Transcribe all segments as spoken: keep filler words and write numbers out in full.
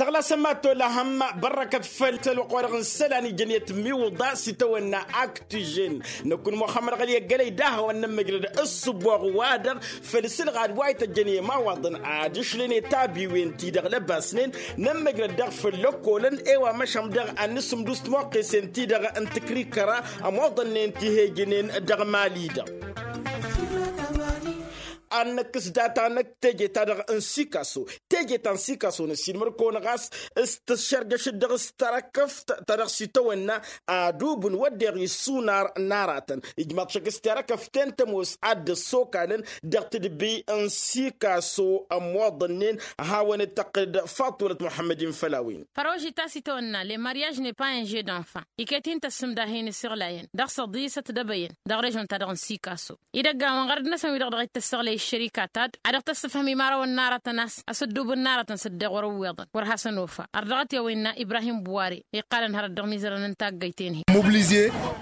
Tăɣlasăn ma tolahăm bărrăkăt făll-tălwăqq-wa-dăɣ n-isălan ijăn i-tǝmmiwǝḍa s-itawănna aktižen. Năkk n-muxămmăd ɣăli ăggălăy d-ahăwăn n-ămmăjrăd ăssǝbboɣ wa-dăɣ făll-isǝlɣad wa ităjjăn i-imawaḍăn ad-išlăn i-tabiwen-ti-dăɣ lăbasnen. Nămmăjrăd daɣ făll-ăkkolăn i-wa măšan dăɣ-ad-nǝsǝmdus timoqqesen-ti-dăɣ n-tǝkrikăra ămoḍănnen ti hejănen dăɣ-mali-dăɣ. Ad-năkkǝs data-năk teje-ta-dăɣ n-sikaso. Teje ta n-sikaso năssiinmăr-kăwăn ɣas s-tǝššărjăšăt dăɣ-s tarăkăft ta dăɣ-s itawănna adubǝn wădden isunar n-aratăn ijmaḍ šăkk s-tarăkăften tămoos ad-dd-ăssokalăn dăɣ-tedbi n-sikaso ămmoḍănnen. Hawăn-dd-tăqqǝlăd faṭulăt muḥămmăd-in făll-a-wen. Făroži ta s-itawănna le mariaž ne payen žedănfa iket-in tăssǝmdahen isǝɣlayăn dăɣ-săḍisăt d-ebăyăn dăɣ-režon-ta-dăɣ n-sikaso. Idăgg-awăn ɣărăd-năsăn wi-dăɣ dăɣ-ităssăɣlăy ăššărika ta-dd ad-dăɣ-tăssǝfhăm imărawăn n-aratăn a-s ăsǝddubǝn n-aratăn s-ăddeɣ wăr-ǝwweḍăn wăr hasăn-ofa. Ărdăɣăt i-a-wa innă ibrahim buware iqqalăn hărăt dăɣ-imizărăn n-taggăyt-en-hi.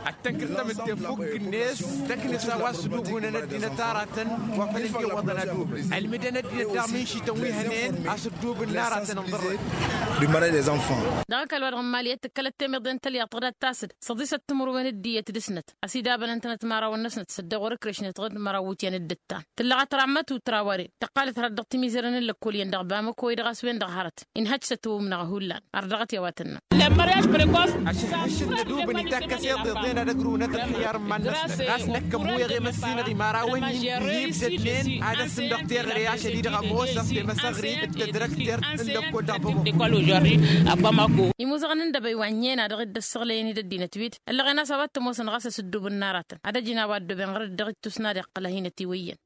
Ad-tănkăr tamǝtte fukk-net tăknǝs a-wa s-ǝddubǝnăn ăddinăt aratăn wa făl ǝnjewwăḍăn ad-ubǝn ălmǝdăn ăddinăt daɣ minšităn wi hănen a-s ǝddubǝn n-aratăn ǝnḍărrăy. Dăɣ-ăkall-wa-dăɣ n-mali ăttǝkkălăt temeḍe n-tălyaḍt ɣǝdat tasǝd săḍisăt timǝrwen d-iyyăt d-ǝsnăt ăsidabăn ǝntănăt imărawăn-năsnăt s-ăddeɣ wăr-ǝkrešnet ɣǝd măraw iwǝtyan d-ǝttan. Tǝllăɣăt rammăt u-trawăre tăqqalăt hărăt dăɣ-timizărăn n-lăkkol iyyăn dăɣ-bamăko-i-dăɣ a-s wen-dăɣ hărăt inhăj s-ătwǝmnăɣ hullan. Ărdăɣăt i-a-wa tǝnnăm. Ašăl-ašăl n-adubǝn itakkăs iḍeḍen ad-ăgrǝwnăt ălxiyar n-iman-năsnăt ɣas năkk ămmuyeɣ i-măssinăɣ imărawăn-in ihibdădnen ad-ăssǝm dăɣ-teɣăre ašăl-i-dăɣ ămoosăɣ temăsăɣrit d-tădrăktert n-lăkkol dăɣ-bamăko. Imuzăɣăn n-dăbăy wa ǝnniyăn a dăɣ-dd-ăssăɣlăyăn-dd ăddinăt wi-dd ăllăɣen a-s a-wa t-ămoosăn ɣas asǝddub n-aratăn ad-ăjǝn a-wa ăddooben ɣărăt dăɣ-ittus n-ad-iqqǝl a hin-ătiwăyyăn.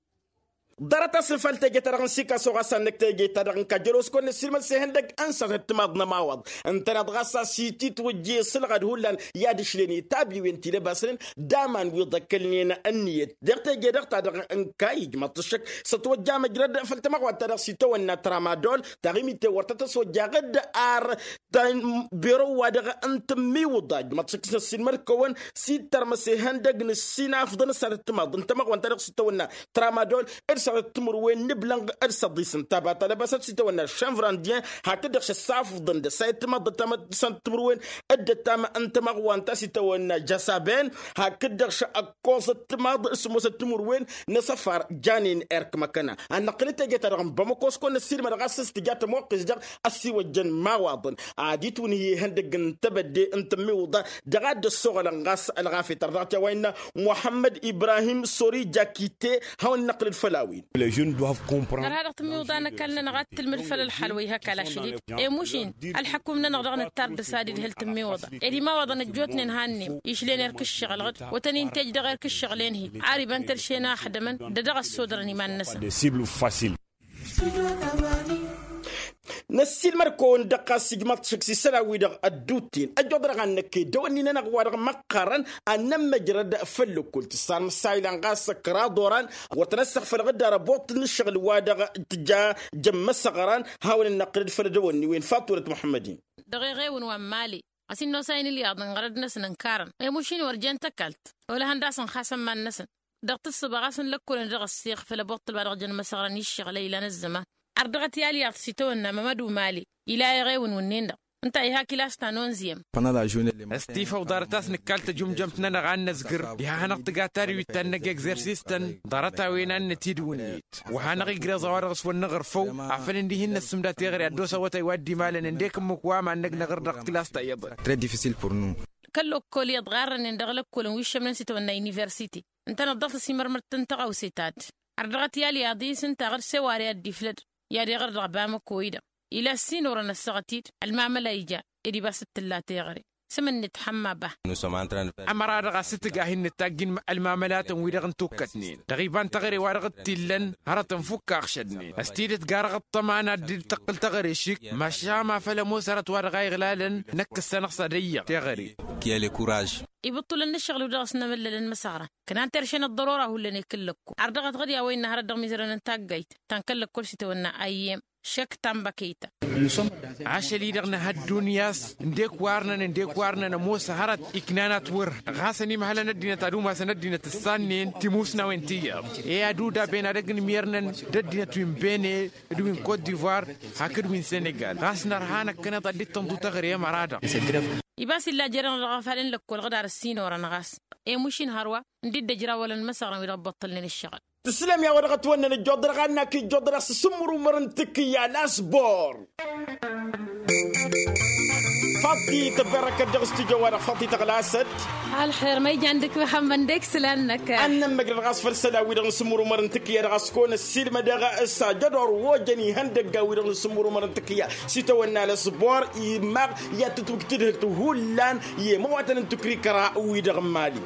Ḍarăt-asăn făll-teje-ta-dăɣ n-sikaso ɣas ad-năkk teje-ta-dăɣ n-kajălos kăwăn-năssiilmăd s-ihăndăgg n-săr-tǝtmaḍ n-ămawaḍ ǝntăneḍ ɣas a-s ititwǝjje isǝlɣad hullan i-ad-ǝšlen i-tabiwen ti lăbasnen d-aman wi ḍăkkălnen ǝnniyăt dăɣ-teje-dăɣ-ta-dăɣ. N-kayǝj măṭṭăššăk s-ătwăjja măjrăd făll-tamăɣwant-ta-dăɣ s-itawănna tramadol taɣimit-ten wăr tăt-ăswăjja ɣǝd ar ta n-bero-wa-dăɣ n-tǝmmiwǝḍa ǝjmăḍ šăkk s-năssiilmăd kăwăn s-ittărmăs ihăndăgg n-ǝssin afḍăn s-ad-ăttămaḍ n-tamăɣwant-ta-dăɣ s-itawănna tramadol d-săr-ăttǝmǝrwen n-iblănɣ d-săḍis n-taba ta lăbasăt s-itawănna šănvrandyen hakd-dăɣ šăssafḍăn d-ăssay ăttămaḍ d-ăttam n-tǝmǝrwen d-ăttam n-tamăɣwant ta s-itawănna jasaben hakd-dăɣ šăkkoẓ ăttămaḍ d-sǝmmos ăttǝmǝrwen n-asăfar janen erk măkăna. Ad-năqqǝl d-teje-ta-dăɣ n-bamăko s-kăwăn-năssiilmăd ɣas s-tǝja tămoqqes-dăɣ ăssiwăjjăn imawaḍăn ad-itwǝnhǝy ihăndăgg n-tebădde n-tămmiwǝḍa dăɣ-ad-dd-ăssoɣălăn ɣas ălɣafyăt ărdăɣăt i-a-wa innă muḥămmăd ibrahim sori jakite. Hawăn-năqqǝl d-făll-a-wen. Ărha dăɣ-tămmiwǝḍa n-ăkall-nănăɣ ad-tǝlmǝd făll-ălxal wa ih'-ăkall ašăl-i-dd i-mušin ălḥăkum-nănăɣ dăɣ-nǝttar d-ăsadid hǝl tămmiwǝḍa ed imawaḍăn ăjjootnen hannem išlen erk ǝššăɣǝl-ɣǝd wăr tăn-intăjj dăɣ-erk ǝššăɣǝl-en-hi. Ar iba n-tărše n-axdămăn d-ad-dăɣ-ăssodărăn iman-năsăn. Năssiilmăd-kăwăn dăɣ-ɣas ijmaḍ-t šăkk s-isălan-wi-dăɣ ădduutten ăjjoḍănăɣ ad-năkk i-dăwănni-nănăɣ wa dăɣ-măqqărăn ad-nămmăjrăd făll-ǝkkul tǝssan măssaylan ɣas kăraḍ oran wăr tăn-ăssăɣfălăɣ dd-arăboḍt n-ǝššăɣǝl wa dăɣ-tǝja jămmăsăɣran. Hawăn-dd-năqqǝlăd făll-dăwănni-wen faṭulăt muḥămmăd-in. Dăɣ-eɣewǝn wa n-mali ɣas inn'-osa-in ǝlyaḍ n-ɣărăd-năsăn ǝnkarăn i-mušin wăr jen tăkalt olăhăn d-asăn xas ămman-năsăn. Dăɣ-tǝssǝba ɣas n-lăkkolăn dăɣ-ăssiix făll-abuṭṭǝl wa dăɣ-jăn măsăɣrăn i-ǝššăɣǝl a ilan ăzzăman. Ărdăɣăt i-alyaḍ s-itawănna mămădu mali ila eɣewǝn wǝnnin-dăɣ ǝnta a iha kilas ta n-onziyăm. Ăstifa uḍarăt a-s nǝkkal tăjǝmjămt-nănăɣ a n-năzgǝr. Iha hanăɣ-tǝga tariwit ta n-năgg egzersis-tăn ḍarăt-a-wen a n-nătidwǝnnet wa hanăɣ-igreẓ a-wa dăɣ-s wăr nǝɣǝrfăw. Afăl ǝndihi n-năssǝmda teɣăre ad-dd-osăwătay wa dd-imalăn ǝndek ǝmmǝk wa mannăg năɣr dăɣ-kilas ta iyyăḍăn. Kăl-lăkkol iyyăḍ ɣarrănen dăɣ-lăkkolăn wi ǝššămnen s-itawănna universite ǝntăneḍ dăɣ-tăsimărmărt n-tăɣawse ta-dd. Ărdăɣăt i-alyaḍ-i s-ǝnta ɣǝr-s eware a dd-iflăd i-ad-iɣăr dăɣ-bamăko-i-dăɣ. Ila ăssinorăn ăssaɣăt-dd ălmamăla ija ed ibas d-tǝlla teɣăre. S-emǝnnet ḥămma bah. Ămăra-dăɣ a-s t-tǝga hin-nǝttajj ǝlmamălatăn-wi-dăɣ n-tukkătnen dăɣ-iba n-teɣăre wa dăɣ-t-illăn hărătăn fukk aɣšădnen. Ăstidăt garăɣ ăṭṭăma n-ad-dd-tăqqǝl teɣăre šik mašan ma făl ămoos hărăt wa dăɣ-a iɣlalăn. Năkk ǝssanăɣ s-ad-ăyyăɣ teɣăre. ăkk i-ale kuraž. Ibǝṭṭulăn n-ǝššăɣǝl-wi-dăɣ s-nămăllălăn măsăɣra ǝknan terše n-ăḍḍărora hullan i-kǝllăkko ar dăɣ-t ɣǝd i-a-wa innă hărăt dăɣ-mizărăn n-taggayt ta n-kăl-lăkkol s-itawănna ayyem šek tamba kăyta. Ašăl-i-dăɣ nǝha ăddunya a-s ǝndek wa ărnăn ǝndek wa ărnăn ămoos hărăt iknan atwăr ɣas ănimhălăn ăddinăt ad-umasăn ăddinăt ǝssannen timusnawen ti iyyăḍ i-ad-udaben ad-ăgg n-imyărnăn d-ăddinăt wi n-bene d-wi n-kot divoir hakd wi n-senegal ɣas nărha năkkăneḍ ad-dd-tănḍu teɣăre i-măra-dăɣ. Ibas illa jer-enăɣ dăɣ-afalăn lăkkol ɣǝdar ăssinorăn ɣas emuš-in hărwa ǝndi dd-ăjrawălăn măsăɣrăn wi dăɣ-ăbbuṭṭălnen ǝššăɣǝl. Tǝslăm i-a-wa dăɣ-ătwănnăn ǝjjuḍ-dăɣ a ănnak ijjuḍ-dăɣ s-asǝmmǝrumăr n-tǝkkǝyya lasbor. Faḍt-i tăbberăkăt dăɣ-s tǝjăwwa-dăɣ faḍt-i tăɣlasăt. Ălxer ma ijan dăɣ-k măxămmăd ǝndek isălan-năk. Ad-nămmăjrăd ɣas făll-isălan-wi-dăɣ n-asǝmmǝrumăr n-tǝkkǝyya dăɣ-a-s kăwăn-ăssiilmădăɣ s-ajădor wa ojăn ihăndăgga-wi-dăɣ n-asǝmmǝrumăr n-tǝkkǝyya s-itawănna lasbor. Imaɣ i-ad-tǝtwǝjtǝdhǝlt hullan i-imăwatăn n-tǝkrikăra-wi-dăɣ n-mali.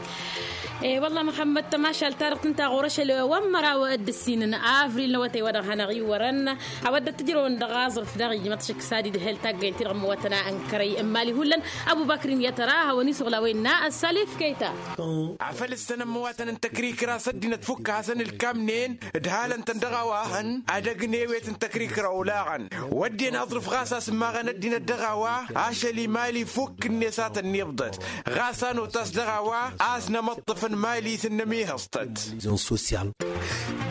E-wălla măxămmăd tămašalt-ta-dăɣ tǝnta ɣur-ašăl wa n-măraw d-ǝssin n-avril n-awătay wa dăɣ-hanăɣ-iwwărăn. A-wa dd-tǝjrăwăn dăɣ-aẓrǝf daɣ ijmăḍ šăkk s-ad-idhel taggăyăn-ti-dăɣ n-imăwatăn a ǝnkărăy n-mali hullan. Ăbubăkr n-iyyăt ăra a hawăn-isuɣǝl a-wa innă ăssalif kăyta. Afăl ǝssănăm imăwatăn n-tăkrikra s-ăddinăt fukk a hasăn-ǝlkamnen d-halăn-tăn dăɣ-a-wa hăn ad-ăgg n-ewet n-tăkrikra olaɣăn. Wădden aẓrǝf ɣas a-s ǝmmaɣăn ăddinăt dăɣ-a-wa ašăl-i mali fukk-net a tăn-iḍḍăt ɣas a notas dăɣ-a-wa a-s nămăṭṭăfăn mali s-ǝnnăm ihăẓtăt.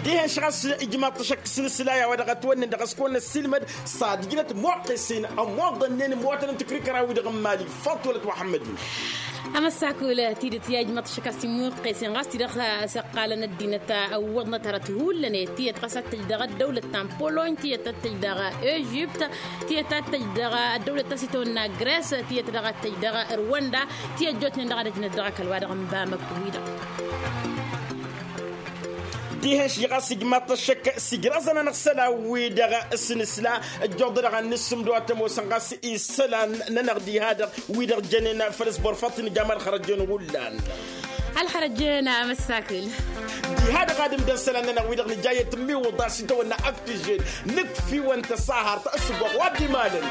Dihen-š ɣas ijmaḍ-t ašăk s-inǝsla i-a-wa dăɣ-ătwănnen dăɣ-s kăwăn-ăssiilmăd s-ad-ǝjnăt muqqesen ămoḍănnen imăwatăn n-tǝkrikăra-wi-dăɣ n-mali. Faḍt-wălăt muḥămmăd-in. Amăssakul tidǝt i-a ijmaḍ-t ašăk a-s imuqqesen ɣas ti-dăɣ s-ăqqalăn ăddinăt ăwwăḍnăt hărăt hullan tiyyăt ɣas ad-tăj dăɣ-ăddăwlăt ta n-polony tiyyăt ad-tăj dăɣ-ežipt tiyyăt ad-tăj dăɣ-ăddăwlăt ta s-itawănna gres tiyyăt dăɣ-ad-tăj dăɣ-rwănda. Tiyyăt jotnen dăɣ-ad-ăjnăt dăɣ-ăkall wa dăɣ-n bamak-wi-dăɣ. Dihen-ši ɣas ijmaḍ-t ăššăk s-ijraẓăn-anăɣ isălan-wi-dăɣ s-inǝsla ăjjuḍ-dăɣ ad-nǝssǝmdǝw ad-t-ămoosăn ɣas isălan-nănăɣ diha-dăɣ wi-dăɣ jănen făll-ăsbor faḍt-i n-ijam ălxărăjjen hullan. Ălxărăjjen amăssakǝl. Diha-dăɣ ad-ǝmdăn isălan-nănăɣ wi-dăɣ nǝja i-tǝmmiwǝḍa s-itawănna ăftǝžen nǝkf'-iwăn tăsahărt ăssuboɣ wa dd-imalăn.